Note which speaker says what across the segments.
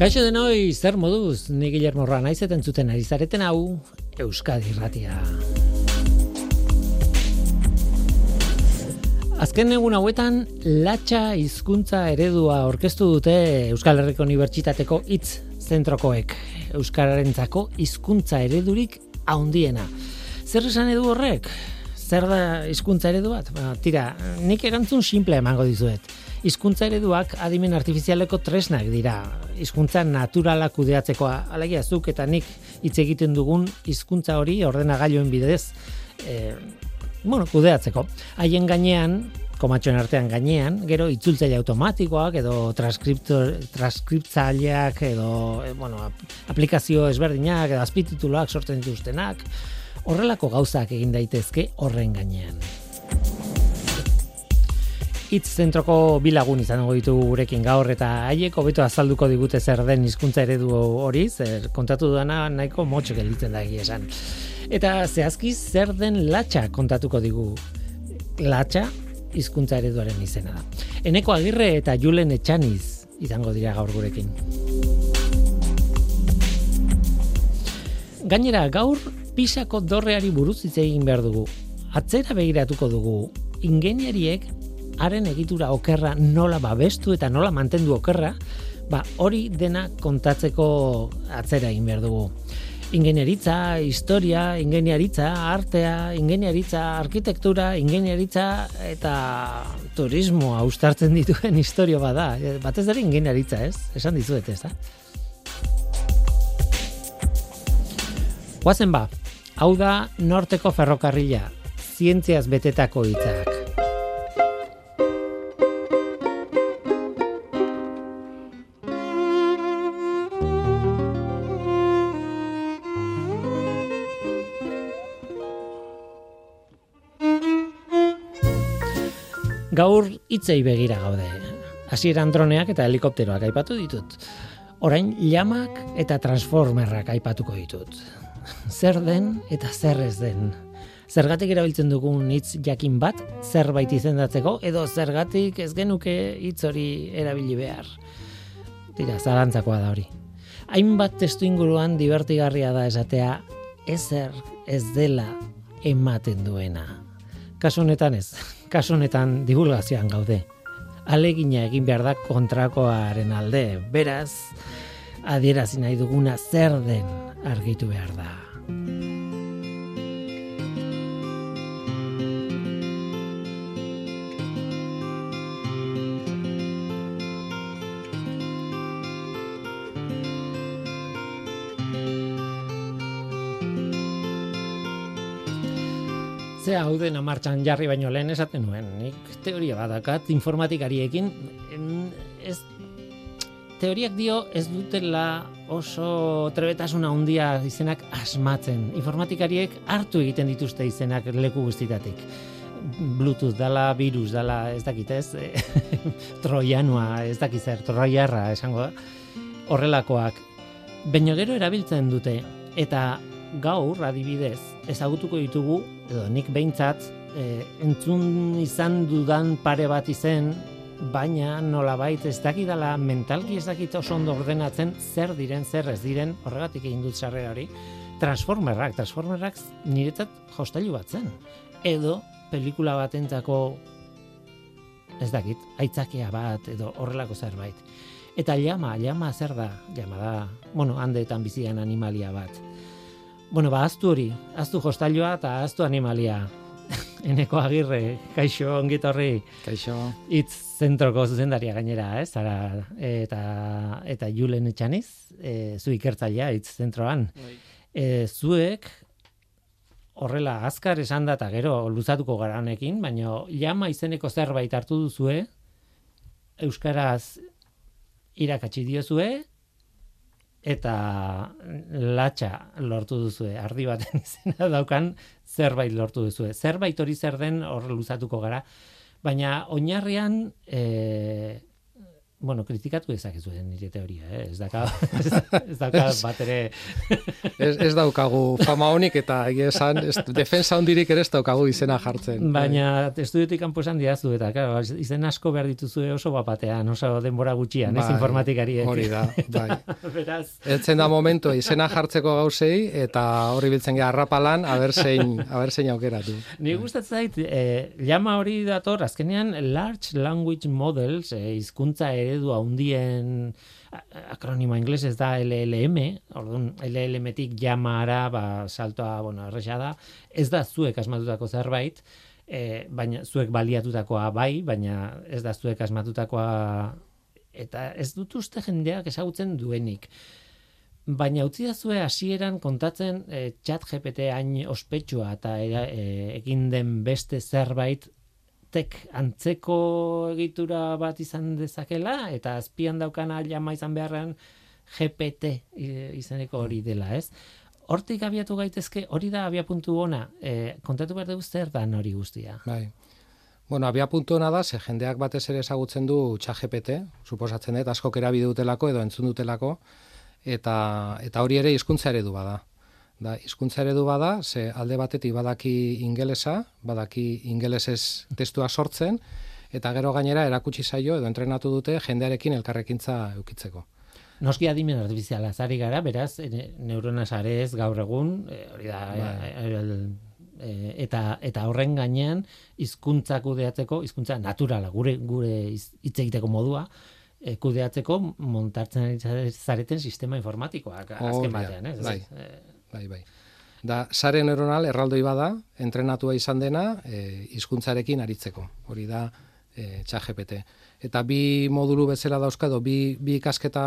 Speaker 1: Kaixo denoi, zer moduz, ni Guillermo Roa naiz eta entzuten ari zareten hau Euskadi Irratia. Azken egun hauetan, latxa hizkuntza eredua aurkeztu dute Euskal Herriko Unibertsitateko hitz zentrokoek. Euskararentzako hizkuntza eredurik handiena. Zer esan edu horrek? Zer da hizkuntza eredu bat? Tira, nik erantzun simple emango dizuet. Hizkuntza ereduak adimen artifizialeko tresnak dira. Hizkuntza naturala kudeatzeko, alegia zuk eta nik hitz egiten dugun hizkuntza hori ordenagailuen bidez kudeatzeko. Haien gainean, komatxoen artean gainean, gero itzultzaile automatikoak edo transkriptzaileak edo aplikazio ezberdinak edo azpitituluak sortzen dituztenak, horrelako gauzak egin daitezke horren gainean. Hitz zentroko bilagun izango ditugu gurekin gaur eta haiek hobeto azalduko digute zer den hizkuntza eredu hori, zer kontatu dudana nahiko motxo gelditzen da egia esan. Eta zehazki zer den latxa kontatuko digu. Latxa hizkuntza ereduaren izena da. Eneko Agirre eta Julen Etxaniz izango dira gaur gurekin. Gainera gaur Pisako dorreari buruz hitz egin behar dugu. Atzera begiratuko dugu. Ingeniariek haren egitura okerra nola babestu eta nola mantendu okerra, hori dena kontatzeko atzera egin behar dugu. Ingenieritza, historia, ingeniaritza, artea, ingeniaritza, arkitektura, ingeniaritza eta turismoa uztartzen dituen historia bada. Batez ere ingeniaritza, ez? Esan dizuet, ez da? Guazen hau da Norteko ferrokarrila, zientziaz betetako hitzak. Gaur hitzei begira gaude. Hasieran droneak eta helikopteroak aipatu ditut. Orain llamak eta transformerrak aipatuko ditut. Zer den eta zer ez den. Zergatik erabiltzen dugun hitz jakin bat zerbait izendatzeko edo zergatik ez genuke hitz hori erabili behar. Tira, zalantzakoa da hori. Hainbat testuinguruan divertigarria da esatea ezer ez dela ematen duena. Kasu honetan ez. Kasu honetan divulgazioan gaude. Alegina egin behar da kontrakoaren alde. Beraz, adierazi nahi duguna zer den argitu behar da. Zea hau dena martxan jarri baino lehen esaten nuen. Nik teoria badakat informatikariekin. Teoriak dio ez dutela oso trebetasuna handia izenak asmatzen. Informatikariek hartu egiten dituzte izenak leku guztitatik. Bluetooth dala, virus dala, ez dakit ez, troianua, ez dakit zer, troiarra esango da. Horrelakoak. Baina gero erabiltzen dute eta gaur adibidez ezagutuko ditugu edo nik behintzat entzun izan dudan pare bat izen, baina nolabait ez dakidala mentalki ez dakit oso ondo ordenatzen zer diren, zer ez diren, horregatik egin dut sarrera hori. Transformerrak niretzat jostailu bat zen. Edo pelikula batentzako ez dakit, aitzakia bat edo horrelako zerbait. Eta llama zer da? Llama da, handeetan bizian animalia bat. Ahaztu hori, ahaztu jostailua eta ahaztu animalia. Eneko Agirre, kaixo, ongit horri.
Speaker 2: Kaixo.
Speaker 1: Hitz zentroko zuzendaria gainera, ez? Eta Julen Etxaniz, zu ikertzailea hitz zentroan. Zuek horrela azkar esan da eta gero luzatuko garanekin, baina llama izeneko zerbait hartu duzue, euskaraz irakatsi diozue, eta latxa lortu duzue, ardi baten izena daukan zerbait lortu duzue. Zerbait hori zer den hor luzatuko gara, baina oinarrian bueno, kritikatu dezakezu nire teoria, ez dauka bat ere...
Speaker 2: ez daukagu fama honik eta esan, defensa hondirik ere ez daukagu izena jartzen.
Speaker 1: Baina estudiotik kanpo esan diazu eta, claro, izen asko behar dituzu oso bapatean, oso denbora gutxian, ez informatikariek.
Speaker 2: Hori da, bai.
Speaker 1: Beraz...
Speaker 2: Eltzen da momentu izena jartzeko gauzei eta horri biltzen gara arrapalan, haberzein aukeratu.
Speaker 1: Ni gustatzen zait, llama hori dator, azkenean Large Language Models, hizkuntza eredu handien akronimo inglesez da LLM, orduan LLM-tik llamara, saltoa, erresa da, ez da zuek asmatutako zerbait, baina zuek baliatutakoa bai, baina ez da zuek asmatutakoa, eta ez dut uste jendeak ezagutzen duenik. Baina utzi da zue hasieran kontatzen ChatGPT hain ospetsua eta egin den beste zerbait antzeko egitura bat izan dezakela, eta azpian daukana llama izan beharrean GPT izeneko hori dela, ez? Hortik abiatu gaitezke, hori da abiapuntu ona, kontatu behar dugu zer dan hori guztia.
Speaker 2: Bai. Bueno, abiapuntu ona da, ze jendeak batez ere ezagutzen du ChatGPT, suposatzen dut, askok erabili dutelako edo entzun dutelako, eta hori ere hizkuntza eredu bada. Hizkuntza eredu bada, ze alde batetik badaki ingelesa, badaki ingelesez testua sortzen, eta gero gainera erakutsi zaio edo entrenatu dute jendearekin elkarrekintza eukitzeko.
Speaker 1: Noski adimen artifiziala zari gara, beraz, neurona sarez gaur egun, hori da, eta horren gainean hizkuntza kudeatzeko, hizkuntza naturala, gure hitz egiteko modua, kudeatzeko montartzen ari zareten sistema informatikoak azken batean, ez?
Speaker 2: Bai. Da, sare neuronal erraldoi bada, entrenatua izan dena, hizkuntzarekin aritzeko. Hori da ChatGPT. Eta bi modulu bezala dauzka, bi ikasketa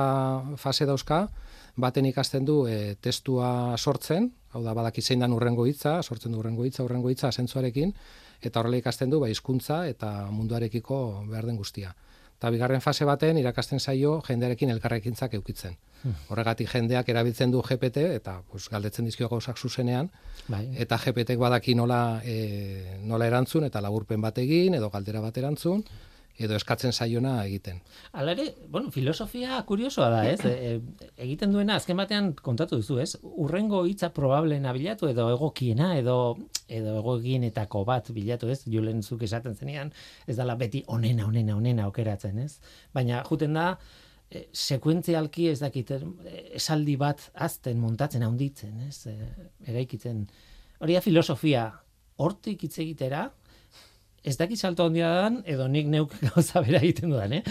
Speaker 2: fase dauzka, baten ikasten du testua sortzen, hau da, badaki zein dan urrengo hitza, sortzen du urrengo hitza asentzuarekin, eta horrela ikasten du hizkuntza eta munduarekiko behar den guztia. Eta bigarren fase baten irakasten zaio jendearekin elkarrekintzak eukitzen. Horregatik jendeak erabiltzen du GPT eta galdetzen dizkio gauzak zuzenean, eta GPTek badaki nola erantzun eta laburpen bat egin edo galdera bat erantzun edo eskatzen zaiona egiten.
Speaker 1: Hala ere, filosofia kuriosoa da, ez? Egiten duena azken batean kontatu duzu, ez? Urrengo hitza probableena bilatu edo egokiena edo egokienetako bat bilatu, ez? Julen zuk esaten zenean, ez dela beti onena aukeratzen, ez? Baina juten da sekuentzialki ez dakit esaldi bat azten, montatzen, handitzen, ez? Eraikitzen. Hori da filosofia, hortik hitz egitera, ez dakit salto handia dan, edo nik neuk gauza bera egiten dudan,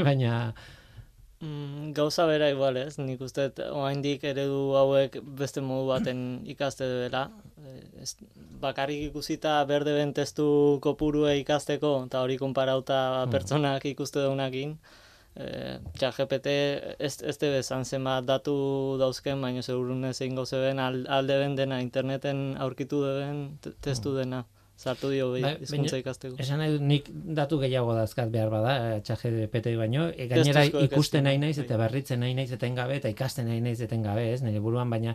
Speaker 1: baina...
Speaker 3: Gauza bera igual, ez? Nik uste, oraindik eredu hauek beste modu baten ikaste dela. Bakarrik ikusita berdeben testu kopurue ikasteko, eta hori konparauta pertsonak ikuste daunakin. ChatGPT ez tebe zenbat datu dauzken, baina segurunez egin gozeben alde ben dena, interneten aurkitu deben testu dena. Sartu dio hizkuntza ikasteko.
Speaker 1: Esan nahi nik datu gehiago dazkat behar bada, ChatGPT baino, gainera ikusten nahi naiz eta berritzen nahi naiz etengabe eta ikasten nahi naiz etengabe, ez, nire buruan, baina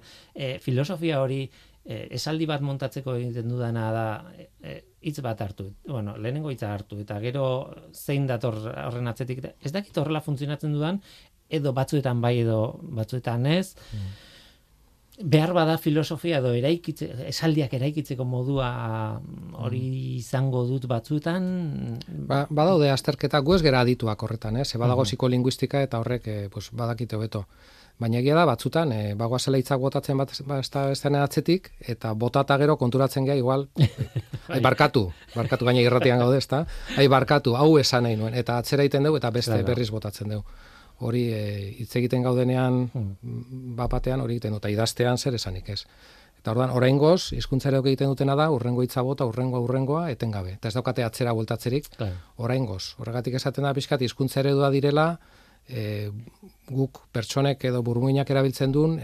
Speaker 1: filosofia hori esaldi bat montatzeko egiten dudana da hitz bat hartu, lehenengo hitza hartu, eta gero zein dator horren atzetik, ez dakit horrela funtzionatzen dudan, edo batzuetan bai edo batzuetan ez, behar bada filosofia edo esaldiak eraikitzeko modua hori izango dut batzuetan.
Speaker 2: Badaude azterketa, gu ez gera adituak horretan, badago psikolinguistika eta horrek badakite hobeto. Baina egia da, batzutan, bagoazela hitzak botatzen bat atzetik, eta botata gero konturatzen geha igual, barkatu gaina irratian gaude, ezta? Barkatu, hau esan nahi nuen, eta atzera egiten dugu, eta beste berriz botatzen dugu. Hori hitz egiten gaudenean bapatean hori egiten dut, eta idaztean zer esanik ez. Eta orduan, oraingoz, hizkuntzareok egiten dutena da, urrengo hitza bota, urrengoa etengabe. Eta ez daukate atzera bueltatzerik, oraingoz. Horregatik esaten da pixkat, hizkuntza eredua direla, guk pertsonek edo burmuinak erabiltzen duen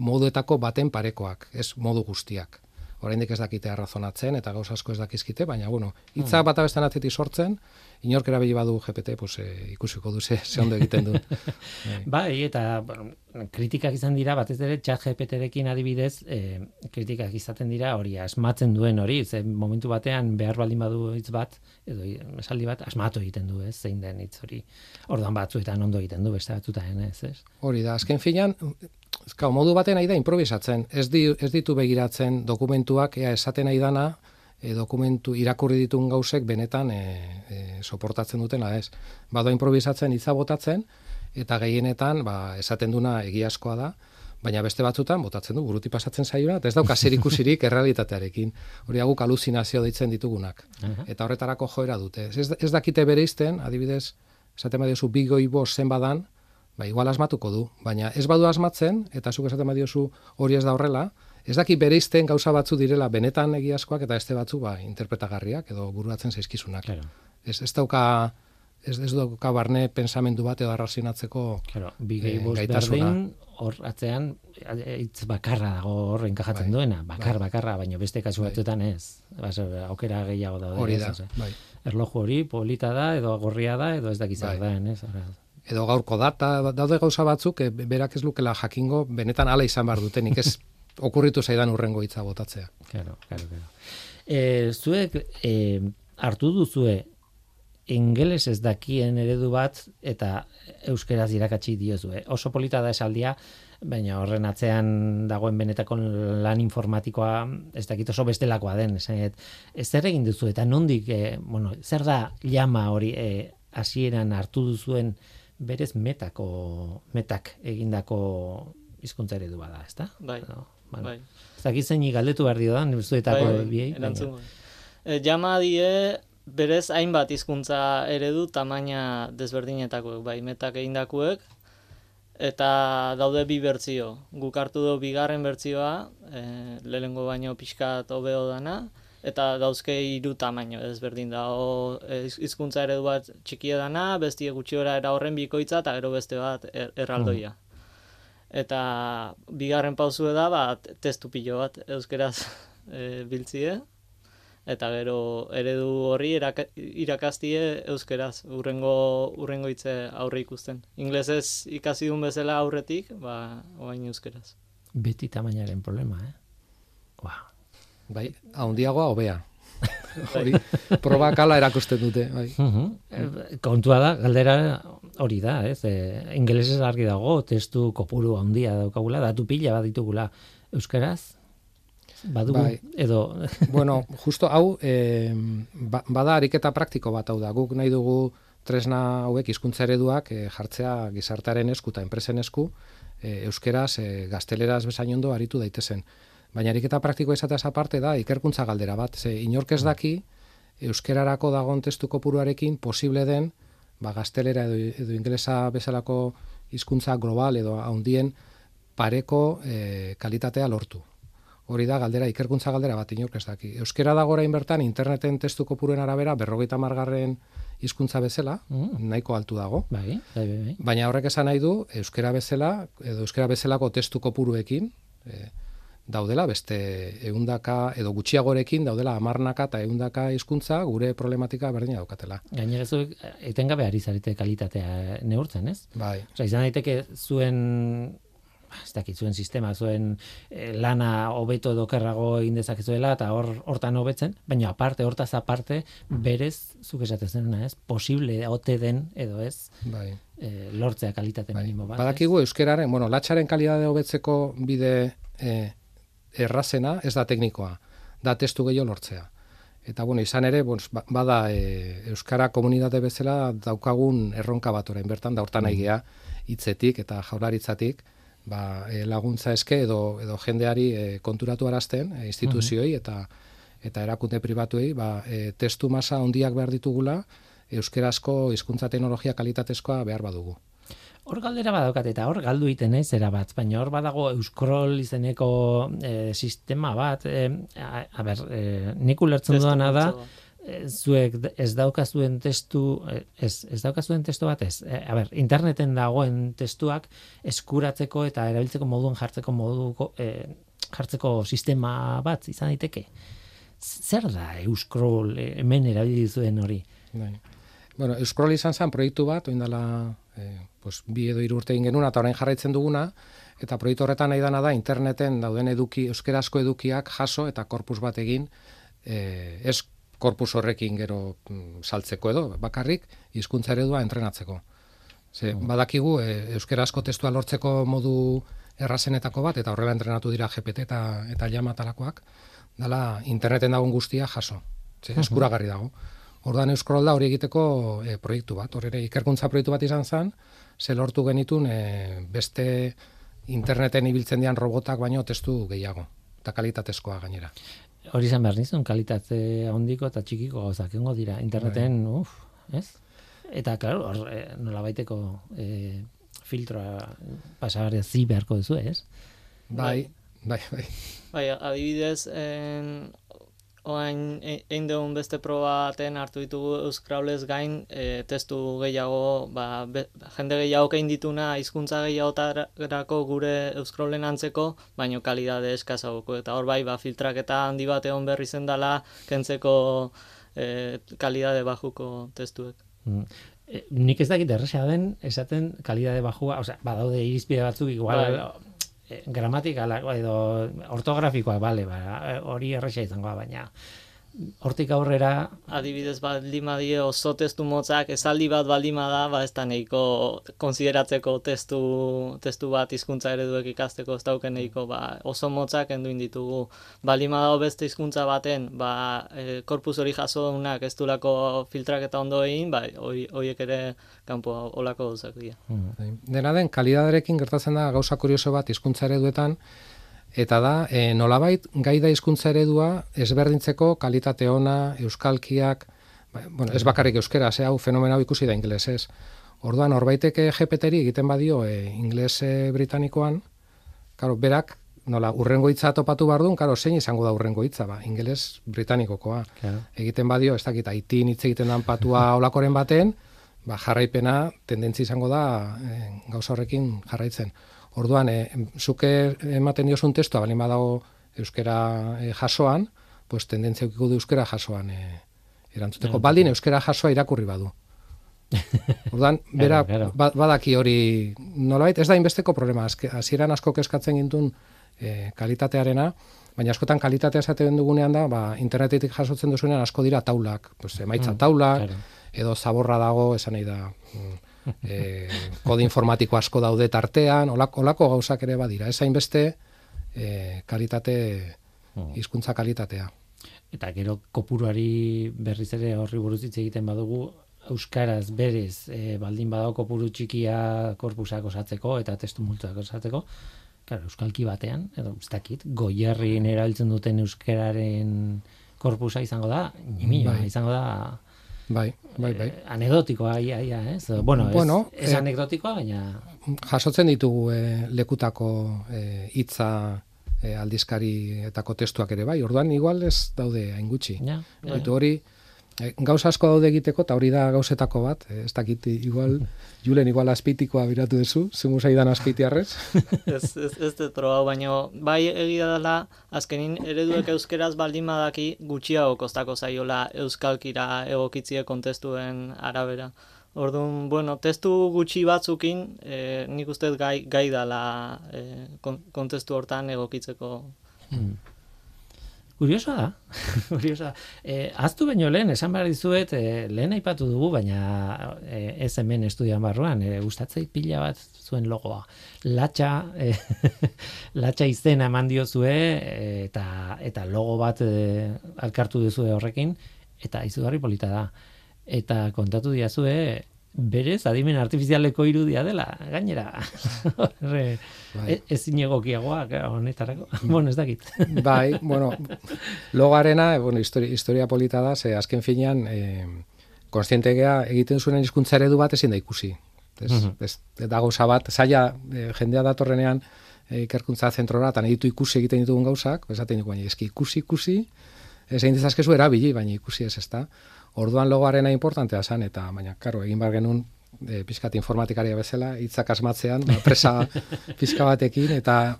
Speaker 2: moduetako baten parekoak, ez modu guztiak. oraindik ez dakite arrazonatzen eta gauza asko ez dakizkite, baina bueno, hitzak bata besteen atzetik sortzen, inork erabili badu GPT, pues ikusiko du ze ondo egiten du.
Speaker 1: Bai, eta bueno, kritikak izan dira, batez ere ChatGPTrekin adibidez, kritikak izaten dira hori asmatzen duen hori, ze momentu batean behar baldin badu hitz bat, edo esaldi bat, asmatu egiten du, ez, zein den hitz hori. Orduan batzuetan ondo egiten du, beste batzuetan, ez?
Speaker 2: Hori da, azken finean, modu baten nahi da improvisatzen, ez ditu begiratzen dokumentuak, esaten nahi dana, dokumentu irakurri ditun gauzek benetan soportatzen dutena, ez. Bado improvisatzen, hitza botatzen, eta gehienetan esaten duna egiazkoa da, baina beste batzutan botatzen du, buruti pasatzen zaiona, eta ez dauka zerikusirik errealitatearekin. Hori guk aluzinazio deitzen ditugunak. Eta horretarako joera dute. Ez dakite bereizten, adibidez, esaten badiozu bigoi bost zen badan, igual asmatuko du, baina ez badu asmatzen, eta zuk esaten badiozu hori ez da horrela, ez daki bereizten gauza batzu direla benetan egiazkoak eta beste batzu interpretagarriak edo buruatzen zaizkizunak.
Speaker 1: Claro.
Speaker 2: Ez dauka barne pensamendu bat edo arrazionatzeko
Speaker 1: gaitasuna. Hor atzean hitz bakarra dago hor enkajatzen duena, bakarra, baina beste kasu batzuetan ez. Aukera gehiago daude.
Speaker 2: Hori da,
Speaker 1: erloju hori polita da edo gorria da edo ez dakiz zer da, ez?
Speaker 2: Edo gaurko data, daude gauza batzuk, berak ez lukela jakingo, benetan hala izan behar dutenik, ez okurritu zaidan urrengo hitza botatzea.
Speaker 1: Claro. Zuek hartu duzue ingeles ez dakien eredu bat eta euskeraz irakatsi diozue. Oso polita da esaldia, baina horren atzean dagoen benetako lan informatikoa ez dakit oso bestelakoa den. Zer egin duzu eta nondik, zer da llama hori hasieran hartu duzuen berez metak egindako hizkuntza eredu bada, ezta?
Speaker 3: Bai.
Speaker 1: Ez dakit zein galdetu behar dio da, zuetako biei.
Speaker 3: Llama die berez hainbat hizkuntza eredu tamaina desberdinetakoek, bai, metak egindakoek, eta daude bi bertsio. Guk hartu dugu bigarren bertsioa, lehenengo baino pixkat hobeo dana, eta dauzke 3 tamaino desberdin da. Hizkuntza eredu bat txikia dana, bestie gutxiora era horren bikoitza, eta gero beste bat erraldoia. Eta bigarren pausue da, testu pilo bat euskeraz biltzie, eta gero eredu horri irakastie euskeraz, urrengo hitze aurre ikusten. Inglesez ikasi duen bezala aurretik, orain euskeraz.
Speaker 1: Beti tamainaren problema,
Speaker 2: Bai, handiagoa hobea. Hori, probakala erakusten dute. Bai.
Speaker 1: Kontua da, galdera hori da, ez? Ingelesez argi dago, testu kopuru handia daukagula, datu pila bat ditugula. Euskeraz? Badugu,
Speaker 2: bai.
Speaker 1: Edo...
Speaker 2: Bueno, justo hau, bada ariketa praktiko bat hau da. Guk nahi dugu tresna hauek hizkuntza ereduak jartzea gizartearen esku eta enpresen esku, euskeraz, gazteleraz bezain ondo aritu daitezen. Baina ariketa praktikoa izateaz aparte da, ikerkuntza galdera bat. Inork ez daki, euskerarako dagoen testu kopuruarekin posible den, gaztelera edo ingelesa bezalako hizkuntza global edo handien pareko kalitatea lortu. Hori da galdera, ikerkuntza galdera bat inork ez daki. Euskera dago orain bertan interneten testu kopuruen arabera 50. hizkuntza bezala, nahiko altu dago.
Speaker 1: Bai.
Speaker 2: Baina horrek esan nahi du, euskera bezala edo euskera bezalako testu kopuruekin daudela beste 100 edo gutxiagorekin daudela 10 eta 100 hizkuntza gure problematika berdina daukatela.
Speaker 1: Gainera zuek etengabe ari zarete kalitatea neurtzen, ez?
Speaker 2: Bai.
Speaker 1: Osea, izan daiteke zuen zuen sistema, zuen lana hobeto edo okerrago egin dezakezuela eta hortan hobetzen, baina hortaz aparte berez zuk esaten zenuna, ez? Posible ote den edo ez?
Speaker 2: Bai.
Speaker 1: Lortzea kalitate minimo bat.
Speaker 2: Badakigu euskeraren, latxaren kalitatea hobetzeko bide errazena ez da teknikoa, da testu gehiago lortzea. Eta izan ere, bada euskara komunitate bezala daukagun erronka bat orain bertan, da hortan aigea hitzetik eta jaurlaritzatik, laguntza eske edo jendeari konturatu arazten, instituzioi eta erakunde pribatuei, testu masa handiak behar ditugula, euskerazko hizkuntza teknologia kalitatezkoa behar badugu.
Speaker 1: Hor galdera badaukat eta hor galdu iten naiz erabat, baina hor badago Euskrol izeneko sistema bat, nik ulertzen dudana da, zuek ez daukazuen testu bat ez. Interneten dagoen testuak eskuratzeko eta erabiltzeko moduan jartzeko moduko jartzeko sistema bat izan daiteke. Zer da Euscroll hemen erabili zuen hori?
Speaker 2: Bai. Bueno, Euscroll izan zen proiektu bat, oindala 2 edo 3 urte egin genuen, eta orain jarraitzen duguna, eta proiektu horretan nahi dana da interneten dauden euskarazko edukiak jaso eta korpus bat egin, ez korpus horrekin gero saltzeko edo, bakarrik hizkuntza eredua entrenatzeko. Badakigu euskarazko testua lortzeko modu errazenetako bat, eta horrela entrenatu dira GPT eta llama talakoak, dala interneten dagoen guztia jaso. Eskuragarri dago. Orduan Euscroll da hori egiteko proiektu bat. Hor ere ikerkuntza proiektu bat izan zen, ze lortu genitun beste interneten ibiltzen dian robotak baino testu gehiago, eta kalitatezkoa gainera.
Speaker 1: Hori izan behar nizun, kalitate handiko eta txikiko gauzak egongo dira. Interneten, ez? Eta, klaro, nola baiteko filtroa pasagarria zi beharko duzu, ez?
Speaker 2: Bai.
Speaker 3: Bai, adibidez, oain egin dugun beste proba baten hartu ditugu Euskralez gain testu gehiago, jende gehiago egin dituna hizkuntza gehiagotarako gure Euskralen antzeko, baino kalidade eskasagoko. Eta hor bai, filtraketa handi bat egon berri zen dela, kentzeko kalidade bajuko testuek.
Speaker 1: Nik ez dakit erresa den, esaten kalidade bajua, badaude irizpide batzuk igual gramatikala edo ortografikoa, bale, hori erresa izangoa, baina hortik aurrera...
Speaker 3: Adibidez baldin badie oso testu motzak, esaldi bat baldin bada, ez da nahiko konsideratzeko testu bat hizkuntza ereduek ikasteko ez dauken nahiko, oso motzak enduin ditugu. Baldin badago beste hizkuntza baten, korpus hori jaso daunak ez dulako filtraketa ondo egin, horiek ere kanpo olako gauzak dira.
Speaker 2: Dena den, kalidaderekin gertatzen da gauza kurioso bat hizkuntza ereduetan, eta da, nolabait, gai da hizkuntza eredua ezberdintzeko kalitate ona, euskalkiak, ez bakarrik euskera, hau fenomeno ikusi da ingelesez. Orduan, horbaiteke GPT-ri egiten badio ingeles britanikoan, karo, berak, nola, urrengo hitza topatu bardun, karo, zein izango da urrengo hitza, ingeles britanikokoa. Claro. Egiten badio, ez dakit, Haitin hitz egiten dan patua olakoren baten, jarraipena tendentzi izango da gauza horrekin jarraitzen. Orduan, zuke ematen diozun testua, balin badago euskera jasoan, pues tendentzia eukiko du euskera jasoan erantzuteko. Baldin euskera jasoa irakurri badu. Orduan, bera badaki hori nolabait, ez da inbesteko problema. Hasieran asko kezkatzen gintun kalitatearena, baina askotan kalitatea esaten dugunean da, internetetik jasotzen duzunean asko dira taulak, pues emaitza taulak, edo zaborra dago, esan nahi da... kode informatiko asko daude tartean, olako gauzak ere badira, ez hainbeste kalitate, hizkuntza kalitatea.
Speaker 1: Eta gero kopuruari berriz ere horri buruz hitz egiten badugu, euskaraz berez baldin badago kopuru txikia korpusak osatzeko eta testu multzoak osatzeko, claro, euskalki batean, edo ez dakit, Goierrin erabiltzen duten euskararen korpusa izango da, izango da...
Speaker 2: Bai.
Speaker 1: Anekdotikoa, ez? Bueno, ez anekdotikoa, baina...
Speaker 2: Jasotzen ditugu lekutako hitza aldizkarietako testuak ere, bai. Orduan, igual ez daude hain gutxi. Hori, gauza asko daude egiteko, eta hori da gauzetako bat. Ez dakit, Julen, igual azpeitikoa biratu duzu, zumu zaidan azpeitiarrez.
Speaker 3: Ez detroa, baina bai egia dela, azkenin ereduek euskeraz baldin badaki gutxiago kostako zaiola euskalkira egokitzie kontestuen arabera. Orduan, testu gutxi batzukin, nik uste gai dela kontestu hortan egokitzeko.
Speaker 1: Kuriosoa da. Aztu baino lehen, esan behar dizuet, lehen aipatu dugu, baina ez hemen estudian barruan, gustatzei pila bat zuen logoa. Latxa izena eman diozue, eta logo bat alkartu duzue horrekin, eta izugarri polita da. Eta kontatu diazue, berez adimen artifizialeko irudia dela, gainera. Ezin egokiagoa honetarako. Ez dakit.
Speaker 2: Bai, logarena, historia polita da, ze azken finean, konstientegea egiten zuen hizkuntza eredu bat ezin da ikusi. Eta gauza bat, zaila jendea datorrenean ikerkuntza zentrora, eta nahi ditu ikusi egiten ditugun gauzak, esaten dugu, baina eski ikusi, ez egin dezazkezu erabili, baina ikusi ez da. Orduan logoarena importantea zen, eta baina, karo, egin bar genuen pizkat informatikaria bezala, hitzak asmatzean, presa pizka batekin, eta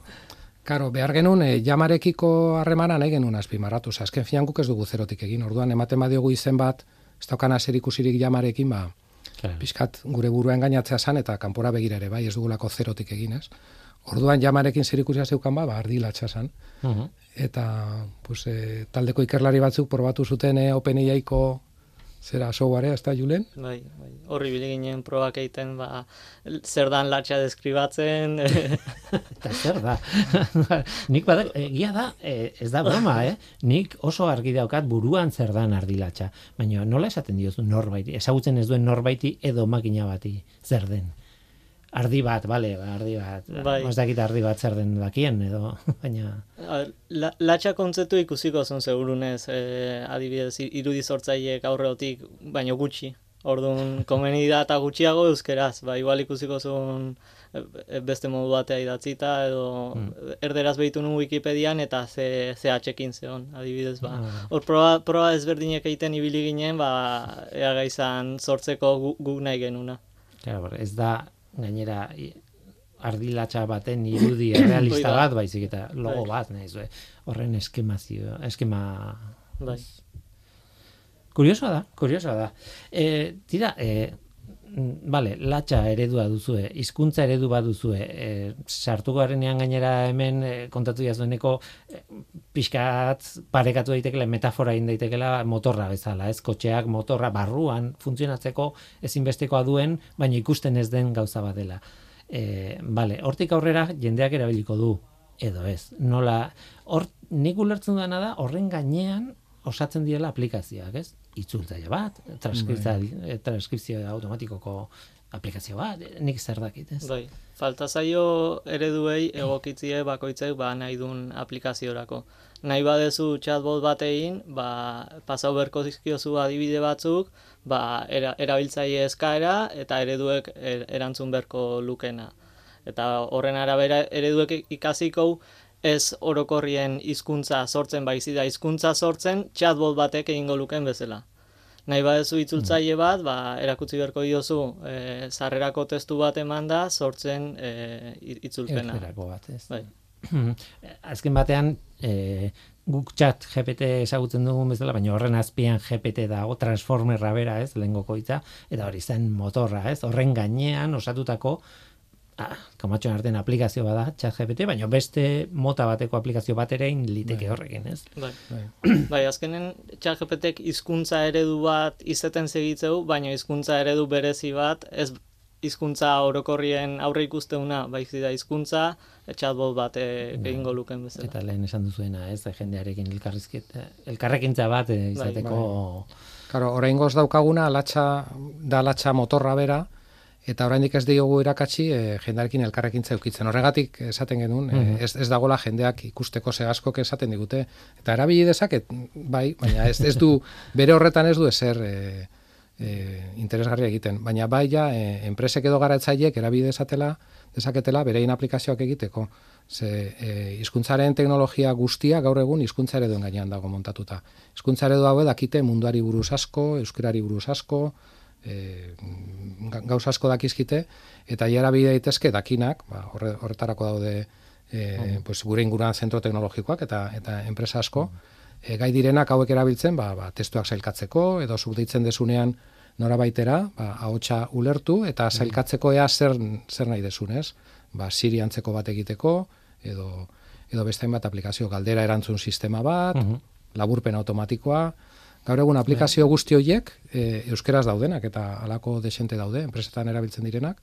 Speaker 2: Karo, behar genuen jamarekiko harremana nahi genuen azpimarratu. Azken finan guk ez dugu zerotik egin. Orduan, ematen badiogu izen bat, ez daukana zer ikusirik jamarekin,
Speaker 1: Claro.
Speaker 2: pixkat gure burua engainatzea zan, eta kanpora begira ere, bai, ez dugulako zerotik egin, ez? Orduan, jamarekin zer ikusia zeukan, ardilatxa zan. Eta, pues, taldeko ikerlari batzuk probatu zuten OpenAI-ko zera softwarea, ez da, Julen?
Speaker 3: Bai. Horri biliginen probak egiten, zer dan latxa deskribatzen.
Speaker 1: Eta zer da? Nik badak, egia da, ez da broma, Nik oso argi daukat buruan zer dan ardilatxa. Baina nola esaten diozu norbaiti? Ezagutzen ez duen norbaiti edo makina bati zer den? Ardi bat, ardi bat.
Speaker 3: Bai.
Speaker 1: Ez dakit ardi bat zer den dakien, edo, baina...
Speaker 3: Latxa kontzeptu ikusiko zuen segurunez, adibidez, irudi sortzaileek aurreotik, baino gutxi. Orduan, komeni da eta gutxiago euskeraz, igual ikusiko zuen beste modu batea idatzita, edo erderaz behitu nun Wikipedian eta CH-ekin zeon, adibidez, Hor proba ezberdinek egiten ibili ginen, ea gaizan sortzeko guk nahi genuna.
Speaker 1: Claro, ez da... Gainera, ardilatxa baten irudi realista bat, baizik eta logo bat, nahi horren eskema...
Speaker 3: Bai.
Speaker 1: Kuriosoa da. Tira, latxa eredua duzue, hizkuntza eredu bat duzue, sartu garenean gainera hemen kontatu jazueneko pixkat parekatu daitekela, metafora egin daitekela motorra bezala, ez kotxeak motorra barruan funtzionatzeko ezinbestekoa duen, baina ikusten ez den gauza bat dela. Hortik aurrera jendeak erabiliko du, edo ez. Nola, nik ulertzen dena da, horren gainean osatzen direla aplikazioak, ez? Itzultzaile bat, transkripzio automatikoko aplikazio bat, nik zer dakit, ez?
Speaker 3: Bai, falta zaio ereduei egokitzie bakoitzek nahi duen aplikaziorako. Nahi badezu chatbot bat egin, pasau berko dizkiozu adibide batzuk, erabiltzaile eskaera eta ereduek erantzun berko lukena. Eta horren arabera ereduek ikasiko ez orokorrien hizkuntza sortzen baizik da hizkuntza sortzen chatbot batek egingo luken bezala. Nahi badezu itzultzaile bat, erakutsi beharko diozu sarrerako testu bat emanda sortzen itzulpena.
Speaker 1: Erderako bat, ez?
Speaker 3: Bai.
Speaker 1: Azken batean, guk chat GPT ezagutzen dugun bezala, baina horren azpian GPT dago, transformerra bera, ez, lehengoko hitza, eta hori zen motorra, ez, horren gainean osatutako kamatxoen artean aplikazio bada chat GPT, baina beste mota bateko aplikazio bat ere liteke horrekin, ez?
Speaker 3: Bai, azkenen chat GPTek hizkuntza eredu bat izeten segitzeu, baina hizkuntza eredu berezi bat, ez hizkuntza orokorrien aurre ikusteuna, baizik da hizkuntza chatbot bat egingo luken bezala.
Speaker 1: Eta lehen esan duzuena, ez, jendearekin elkarrekintza bat izateko...
Speaker 2: Claro, oraingoz daukaguna latxa motorra bera, eta oraindik ez diogu irakatsi jendearekin elkarrekintza eukitzen. Horregatik esaten genuen, ez dagola jendeak ikusteko segaskok esaten digute. Eta erabili dezaket, bai, baina ez du, bere horretan ez du ezer interesgarria egiten. Baina bai ja, enpresek edo garatzaileek erabili dezaketela berein aplikazioak egiteko. Hizkuntzaren teknologia guztia gaur egun hizkuntza ereduen gainean dago montatuta. Hizkuntza eredu hau dakite munduari buruz asko, euskarari buruz asko, gauz asko dakizkite, eta jara bide daitezke dakinak, horretarako daude gure inguruan zentro teknologikoak eta enpresa asko, gai direnak hauek erabiltzen, testuak sailkatzeko, edo zuk deitzen desunean norabaitera, ahotsa ulertu, eta sailkatzeko ea zer nahi desunez, Siri antzeko bat egiteko, edo beste hainbat aplikazio, galdera erantzun sistema bat, laburpen automatikoa. Gaur egun aplikazio guzti horiek euskeraz daudenak eta halako desente daude, enpresetan erabiltzen direnak,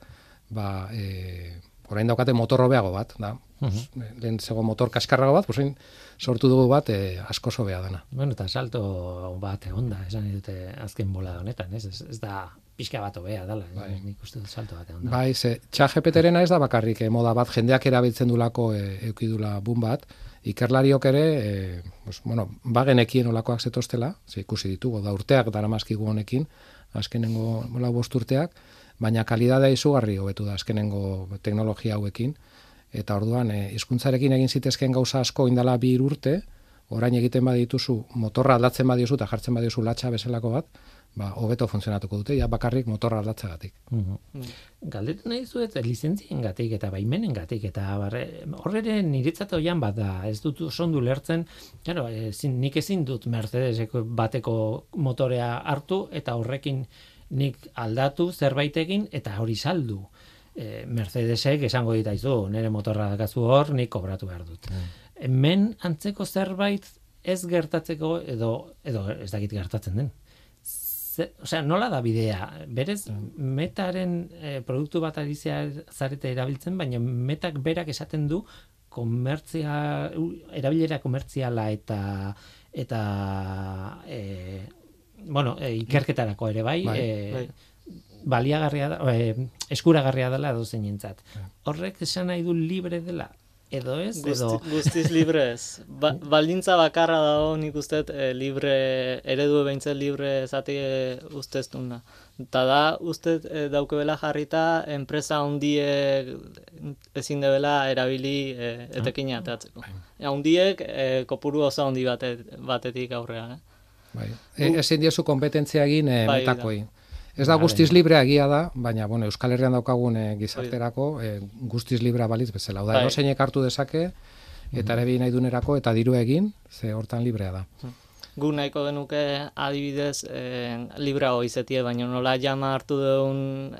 Speaker 2: orain daukate motor hobeago bat, da. Lehen zego motor kaskarrago bat, sortu dugu bat asko hobea dana.
Speaker 1: Bueno, eta salto bat egonda, esan dute azken bolada honetan, ez da pixka bat hobea dela, nik uste dut salto bat egonda.
Speaker 2: Bai, ChatGPT-rena ez da bakarrik moda bat, jendeak erabiltzen dulako eukidula boom bat, ikerlariok ere, bagenekien olakoak zetostela, ikusi ditugu, da urteak daramazkigu honekin, azkenengo 5 urteak, baina kalidadea izugarri hobetu da azkenengo teknologia hauekin, eta orduan, hizkuntzarekin egin zitezken gauza asko indala 2 urte, orain egiten badituzu, motorra aldatzen badiozu eta jartzen badiozu latxa bezalako bat, hobeto funtzionatuko dute, ja bakarrik motorra aldatzagatik.
Speaker 1: Galdetu nahi zuet, lizentziengatik eta baimenengatik, eta horre niretzat oian bat da, ez dut sondu lertzen, claro, nik ezin dut Mercedeseko bateko motorea hartu, eta horrekin nik aldatu zerbaitekin, eta hori saldu. Mercedesek esango ditaizu, nire motorra dakazu hor, nik kobratu behar dut. Hemen antzeko zerbait ez gertatzeko, edo ez dakit gertatzen den. Osea, nola da bidea? Berez, metaren produktu bat ari zarete erabiltzen, baina metak berak esaten du erabilera komertziala eta ikerketarako ere bai. Baliagarria da, eskuragarria dela edo zeinentzat. Horrek esan nahi du libre dela, edo ez?
Speaker 3: Guztiz libre ez. Baldintza bakarra dago nik usteet libre, eredu behintzen libre zati usteztuna. Eta da, usteet daukebela jarrita, enpresa handiek ezin debela erabili etekina ateatzeko. Handiek kopuru oso handi batetik aurrean.
Speaker 2: Ezin diezu kompetentzia egin metakoi. Ez da guztiz librea egia da, baina Euskal Herrian daukagun gizarterako guztiz librea balitz bezala. Oda, eroseinek hartu dezake, eta ere nahi dunerako, eta diru egin, ze hortan librea da.
Speaker 3: Gu nahiko genuke adibidez libreago izetie, baina nola jama hartu duen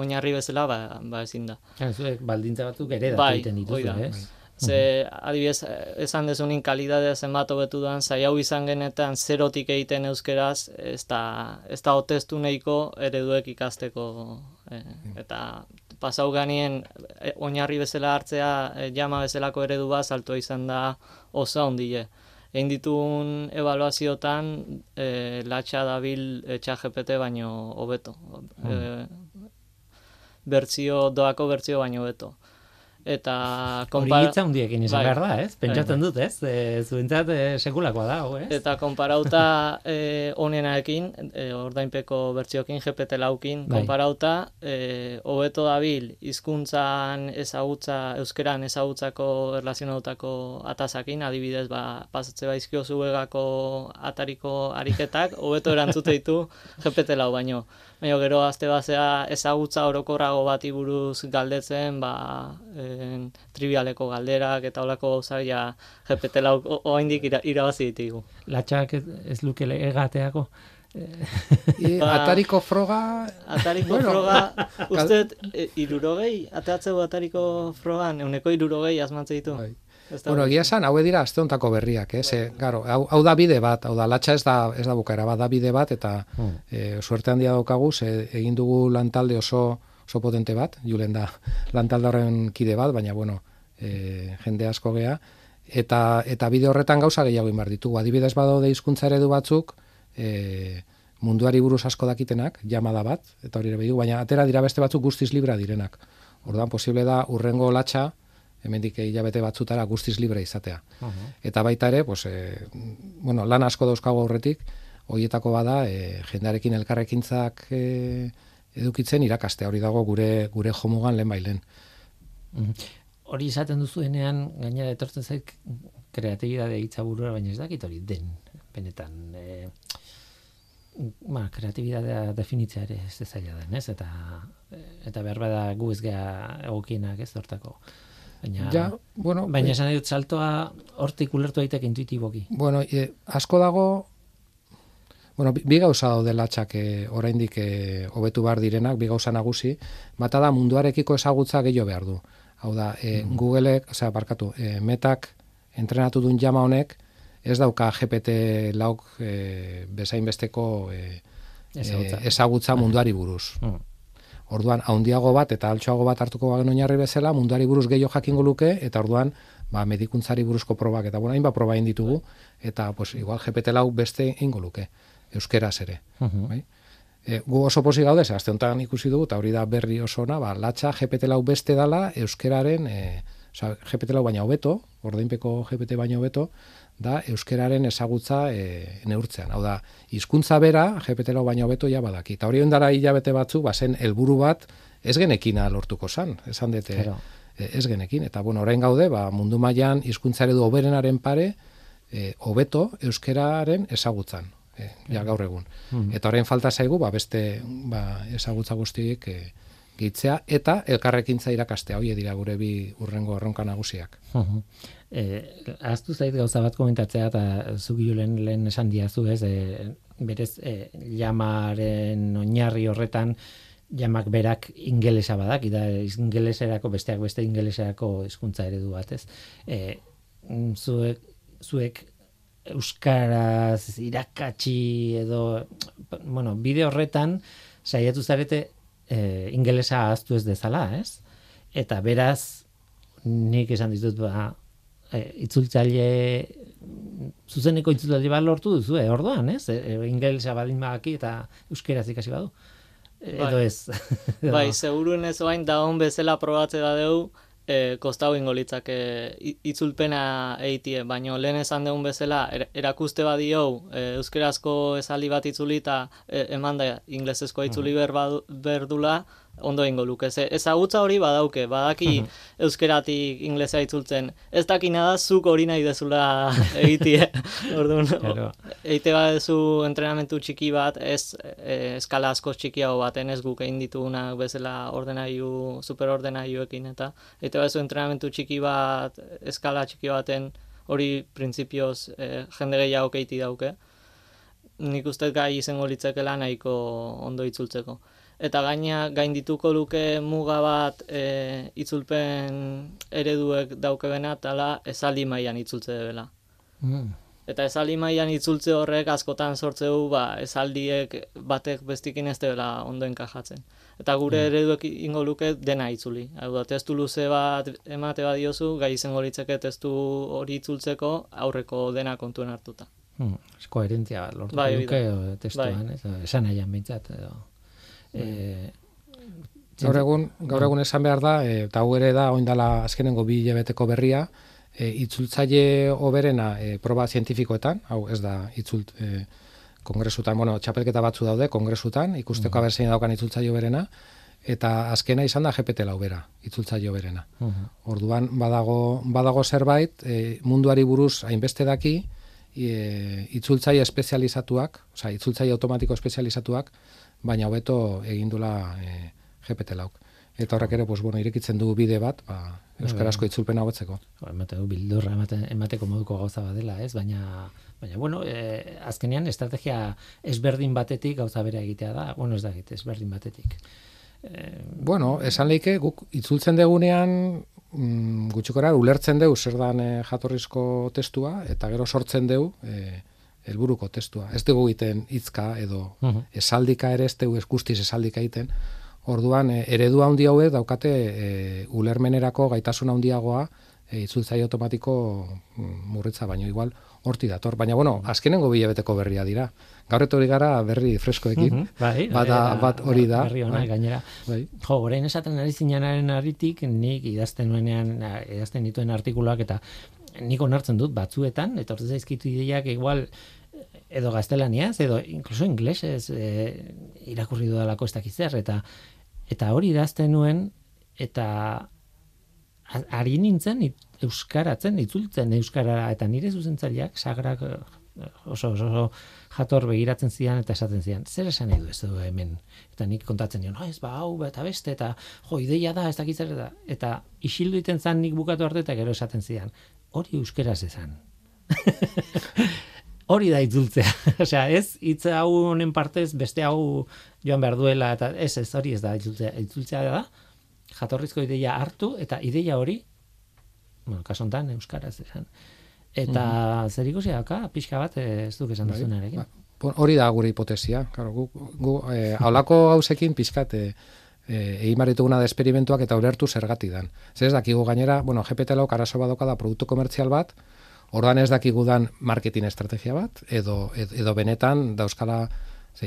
Speaker 3: oinarri bezala, ezin da.
Speaker 1: Baldintza batzuk ere da egiten dituzu, ez?
Speaker 3: Ze, adibidez, esan dezunin kalidadea zenbat hobetu duan, zai hau izan genetan zerotik egiten euskeraz, ez da otestu nahiko ereduek ikasteko. Eta pasau ganien oinarri bezala hartzea, jama bezalako eredu bat, saltua izan da oso ondile. Egin ditun evaluaziotan, latxa dabil ChatGPT baino hobeto. Doako bertzio baino hobeto. Eta
Speaker 1: hori hitza hundiekin izan behar da, ez? Pentsatzen dut, ez? Zuentzat sekulakoa da, ez?
Speaker 3: Eta konparauta onenaekin, ordainpeko bertziokin, GPT-laukin, konparauta, hobeto dabil hizkuntzan ezagutza, euskeran ezagutzako erlazionatutako atasakin, adibidez, pasatze baizkio zuegako atariko ariketak, hobeto erantzute ditu GPT-lau baino. Baina gero azte bazea ezagutza orokorrago bati buruz galdetzen, trivialeko galderak eta holako gauzak GPT-lau oraindik irabazi ditugu.
Speaker 1: Latxak ez luke egateako?
Speaker 2: Atariko froga...
Speaker 3: Atariko froga, usteet, 60, ateatzeu atariko frogan, 160 asmatze ditu.
Speaker 2: Egia esan, hau dira aste hontako berriak, hau da bide bat, hau da, latxa ez da bukaera bat, da bide bat, eta suerte handia daukagu, egin dugu lantalde oso potente bat, Julen da lantalde horren kide bat, baina, jende asko gea, eta bide horretan gauza gehiago inbar ditugu. Adibidez badaude hizkuntza eredu batzuk, munduari buruz asko dakitenak, jamada bat, eta hori ere behidu, baina atera dira beste batzuk guztiz libra direnak. Orduan, posible da, urrengo latxa, hemendik hilabete batzutara guztiz libre izatea. Eta baita ere, lan asko dauzkago aurretik, horietako bada, jendearekin elkarrekintzak edukitzen irakastea, hori dago gure jomugan lehen bailen.
Speaker 1: Hori izaten duzuenean, gainera etortzen zaik kreatibidade hitza burura, baina ez dakit hori den, benetan. Kreatibidadea definitzea ere ez zaila den, ez? Eta behar bada gu ez gea egokienak ez hortako. Baina esan dut saltoa hortik ulertu daiteke intuitiboki.
Speaker 2: Asko dago, bi gauza daude latxak oraindik hobetu behar direnak, bi gauza nagusi, bata da munduarekiko ezagutza gehiago behar du. Hau da, Googleek, metak entrenatu duen jama honek, ez dauka GPT-lauk bezain besteko ezagutza munduari buruz. Orduan, handiago bat eta altxoago bat hartuko bagen oinarri bezala, munduari buruz gehiago jakingo luke, eta orduan, medikuntzari buruzko probak, eta hainbat proba egin ditugu, eta igual GPT-lau beste ingo luke, euskeraz ere. Gu oso posi gaude, azte honetan ikusi dugu, eta hori da berri oso ona, latxa GPT-lau beste dala, euskeraren, GPT-lau baina hobeto, ordainpeko GPT baina hobeto, da euskeraren ezagutza neurtzean. Hau da, hizkuntza bera, GPT-lau baina hobeto ja badaki. Eta hori ondara hilabete batzu, zen helburu bat ez genekina lortuko zan. Esan dute ez genekin. Eta orain gaude, mundu mailan hizkuntza eredu hoberenaren pare, hobeto euskeraren ezagutzan, ja gaur egun. Eta orain falta zaigu, beste ezagutza guztiek gehitzea, eta elkarrekintza irakastea, hori dira gure bi urrengo erronka nagusiak.
Speaker 1: Ahaztu zait gauza bat komentatzea, eta zugi lehen esan diazu, ez, berez, jamaren oinarri horretan, jamak berak ingelesa badak, da ingeleserako, besteak beste ingeleserako hizkuntza eredu bat, ez. Zuek euskaraz irakatsi edo, bueno, bide horretan saiatu zarete ingelesa ahaztu ez dezala, ez? Eta beraz, nik esan ditut, itzultzaile, zuzeneko itzultzaile bat lortu duzu, orduan, ez? Ingelesa badin badaki eta euskeraz ikasi badu. Edo ez.
Speaker 3: Bai, seguruen ez oain da hon bezala probatze da deu, kostau ingo litzake itzulpena eitie, baina lehen esan deun bezala erakuste badiou euskerazko esaldi bat itzuli eta eman da inglesezkoa itzuli berdula, ondo ingo luke. Ezagutza hori badauke, badaki euskeratik inglesa itzultzen. Ez dakina da zuk hori nahi dezula egitie. Orduan, eite badezu entrenamentu txiki bat, ez eskala asko txikiago baten, ez guk egin ditugunak bezala superordenailuekin, eta eite badezu entrenamentu txiki bat, eskala txiki baten, hori printzipioz jende gehiago keiti dauke. Nik uste gai izango litzakela nahiko ondo itzultzeko. Eta gain dituko luke muga bat itzulpen ereduek daukebena, tala esaldi mailan itzultze dela. Eta esaldi mailan itzultze horrek askotan sortze du, esaldiek batek bestikin ez dela ondo enkajatzen. Eta gure ereduek ingo luke dena itzuli. Hau da, testu luze bat emate badiozu, gai izango litzake testu hori itzultzeko aurreko dena kontuen hartuta.
Speaker 1: Koherentzia bat lortuko luke testuan, esan nahian behintzat, edo.
Speaker 2: Gaur egun esan behar da, eta hau ere da oindala azkenengo 2 hilabeteko berria, itzultzaile hoberena proba zientifikoetan, hau ez da kongresutan, txapelketa batzu daude kongresutan, ikusteko abertzein daukan itzultzaile hoberena, eta azkena izan da GPT-4 bera, itzultzaile hoberena. Orduan badago zerbait munduari buruz hainbeste daki, itzultzaile espezializatuak, itzultzaile automatiko espezializatuak, baina hobeto egindula GPT-4. Eta horrek ere, irekitzen du bide bat, euskarazko itzulpena hobetzeko.
Speaker 1: Bildurra emateko moduko gauza bat dela, ez? Baina azkenean estrategia ezberdin batetik gauza bera egitea da, ez da egite, ezberdin batetik.
Speaker 2: Esan leike, guk itzultzen degunean, gutxikora, ulertzen deu zer dan jatorrizko testua, eta gero sortzen deu helburuko testua. Ez dugu egiten hitzka edo esaldika ere, ez dugu guztiz esaldika egiten. Orduan, eredu handi hauek daukate ulermenerako gaitasun handiagoa itzultzaile automatiko murritza, baino igual horti dator. Baina, azkenengo 2 hilabeteko berria dira. Gaur etorri gara berri freskoekin. Bat hori da.
Speaker 1: Berri hona, gainera. Orain esaten ari zinanaren aritik, nik idazten dituen artikuluak eta nik onartzen dut batzuetan, eta hortz zaizkitu ideiak igual edo gaztelaniaz, edo inkluso inglesez irakurri dudalako ez dakiz zer, eta hori idazten nuen, eta ari nintzen euskaratzen, itzultzen euskarara, eta nire zuzentzaileak sagrak oso jator begiratzen zidan eta esaten zidan, zer esan edo ez du hemen? Eta nik kontatzen dion, ez hau eta beste, eta ideia da, ez dakiz zer, eta isildu iten zan nik bukatu arte, eta gero esaten zidan, hori euskeraz ezan. Hori da itzultzea. Osea, ez hitz hau honen partez beste hau joan behar duela, eta ez hori ez da itzultzea. Itzultzea da, jatorrizko ideia hartu, eta ideia hori, kaso honetan, euskaraz esan. Eta zer ikusi daka, pixka bat ez duk esan duzunarekin.
Speaker 2: Hori da gure hipotesia. Haulako hausekin pixkat egin barituguna da esperimentuak eta ulertu zergatik dan. Zer ez dakigu gainera, GPT-4 arazo badoka da produktu komertzial bat, orduan ez dakigudan marketing estrategia bat, edo benetan dauzkala,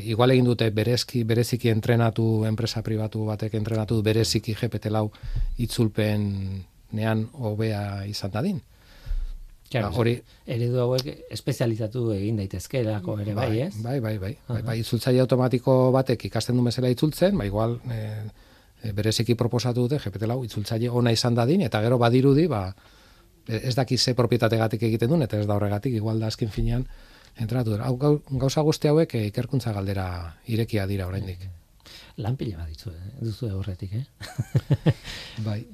Speaker 2: igual egin dute bereziki entrenatu, enpresa pribatu batek entrenatu bereziki GPT-4 itzulpenean hobea izan dadin.
Speaker 1: Eredu hauek espezializatu egin daitezkeelako ere bai, ez?
Speaker 2: Bai, itzultzaile automatiko batek ikasten du bezala itzultzen, igual bereziki proposatu dute GPT-4 itzultzaile ona izan dadin, eta gero badirudi, ez daki ze propietategatik egiten duen, eta ez da horregatik, igual da azken finean, entrenatu dira. Gauza guzti hauek ikerkuntza galdera irekia dira oraindik.
Speaker 1: Lan pila bat duzu horretik,
Speaker 2: Bai.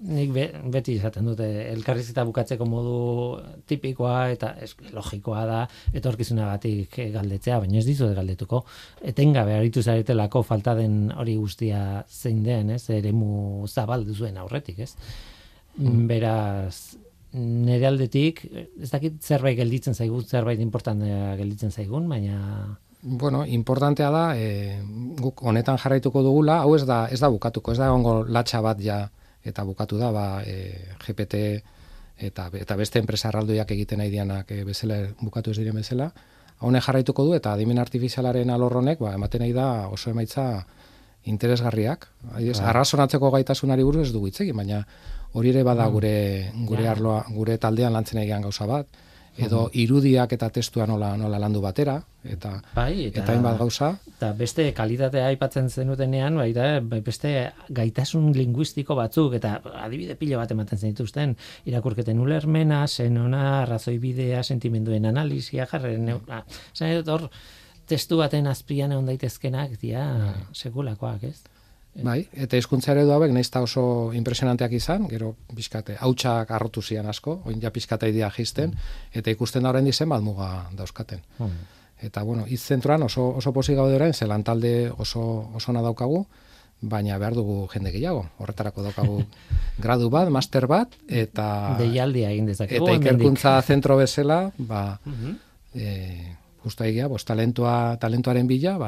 Speaker 1: Nik beti izaten dute, elkarrizketa bukatzeko modu tipikoa eta logikoa da, etorkizunagatik galdetzea, baina ez dizue galdetuko. Etengabe aritu zaretelako falta den hori guztia zein den, eremu zabal duzuen aurretik, ez? Beraz, nire aldetik, ez dakit zerbait gelditzen zaigun, zerbait importantea gelditzen zaigun, baina...
Speaker 2: Bueno, importantea da, guk honetan jarraituko dugula, hau ez da bukatuko, ez da egongo latxa bat ja, eta bukatu da, GPT eta beste enpresa erraldoiak egiten nahi dianak bezala, bukatu ez diren bezala, honek jarraituko du, eta adimen artifizialaren alorronek, ematen nahi da oso emaitza interesgarriak. Arrazonatzeko gaitasunari buruz ez dugu hitz egin, baina hori ere bada gure arloa, gure taldean lantzen egian gauza bat, edo irudiak eta testua nola landu batera, eta hainbat gauza. Eta
Speaker 1: beste kalitatea aipatzen zenutenean, beste gaitasun linguistiko batzuk, eta adibide pilo bat ematen zenituzten, irakurketen ulermena, senona, arrazoibidea, sentimenduen analisia, zan edot hor, testu baten azpian egon daitezkenak, sekulakoak, ez?
Speaker 2: Bai, eta hizkuntza eredu hauek nahiz ta oso impresionanteak izan, gero pixkate hautsak arrotu zian asko, orain ja pixkata idea jisten, eta ikusten da oraindik zenbat muga dauzkaten. Eta bueno, hitz zentroan oso pozik gaude orain, ze lantalde osona daukagu, baina behar dugu jende gehiago. Horretarako daukagu gradu bat, master bat, eta
Speaker 1: deialdia egin dezakegu.
Speaker 2: Eta ikerkuntza zentro bezala, justu egia, talentuaren bila,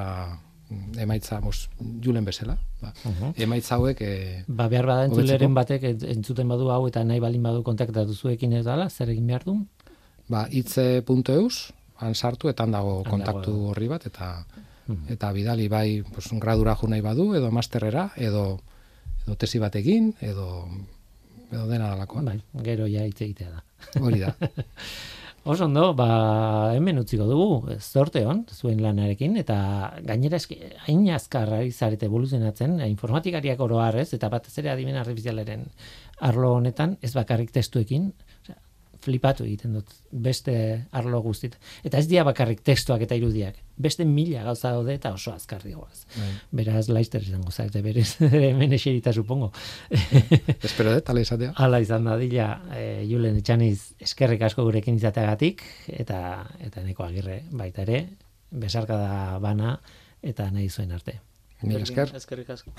Speaker 2: emaitza julen bezala. Emaitza hauek...
Speaker 1: behar bada entzuleren batek entzuten badu hau eta nahi balin badu kontaktatu zuekin ez dala, zer egin behar du?
Speaker 2: Itze.eus, han sartu, eta han dago kontaktu horri bat, eta bidali bai gradura jo nahi badu, edo masterrera, edo tesi bat egin, edo dena dalakoa.
Speaker 1: Bai, gero ja hitz egitea da.
Speaker 2: Hori da.
Speaker 1: Oso ondo, hemen utziko dugu, zorte hon, zuen lanarekin, eta gainera hain azkarra izarete evoluzionatzen, informatikariak oro harrez, eta batez ere adimen artifizialaren arlo honetan, ez bakarrik testuekin, flipatu egiten dut, beste arlo guztit. Eta ez dira bakarrik testuak eta irudiak, beste 1000 gauza daude eta oso azkarri goaz. Beraz, laizter izango zaite, berez, hemen eserita supongo.
Speaker 2: Espero dut, ala izatea.
Speaker 1: Ala izan da, dila, Julen Etxaniz eskerrik asko gurekin izateagatik, eta Eneko Agirre baita ere, besarkada bana, eta nahi zuen arte.
Speaker 2: Mil esker.
Speaker 3: Eskerrik asko.